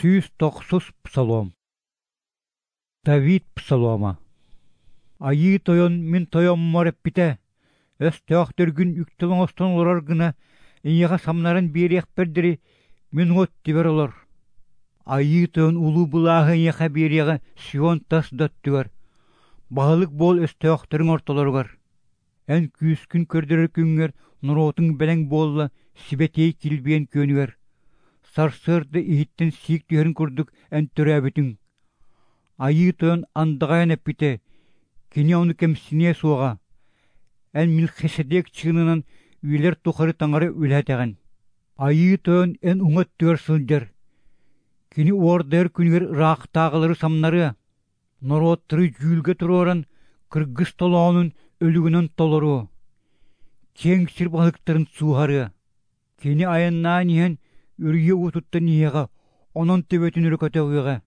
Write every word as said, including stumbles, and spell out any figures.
Сүүс тохсус псалом. Давид псалома. Айыы Тойон мин тойоммор эппитэ: «Өстөөхтөргүн үктэл оҥостон олорор гына эйиэхэ самнаран биэриэхпэр диэри мин уот түбэр олор. Айыы Тойон улуу былааһы эйиэхэ биэриэҕэ Сион тас да өттүгэр, баһылык буол өстөөхтөрүҥ ортолоругар. Эн күүскүн көрдөрөр күҥҥэр норуотуҥ бэлэҥ буолла сибэтиэй килбиэн күөнүгэр. Сарсыарда иһиттэн сиик түһэрин курдук эн төрөөбүтүҥ. Айыы Тойон андаҕайан эппитэ, кини ону кэмсиниэ суоҕа. Эн Мелхиседек чыынынан үйэлэр тухары таҥара үлэһэтэҕин. Айыы Тойон эн уҥа өттүгэр сылдьар. Кини уордайар күнүгэр ыраахтааҕылары самнарыа. Норуоттары дьүүлгэ туруоран, кыргыс толоонун өлүгүнэн толоруо. Киэҥ сир баһылыктарын сууһарыа. Кини айаннаан иһэн үрүйэ уутуттан иһиэҕэ, онон төбөтүн өрө көтөҕүөҕэ.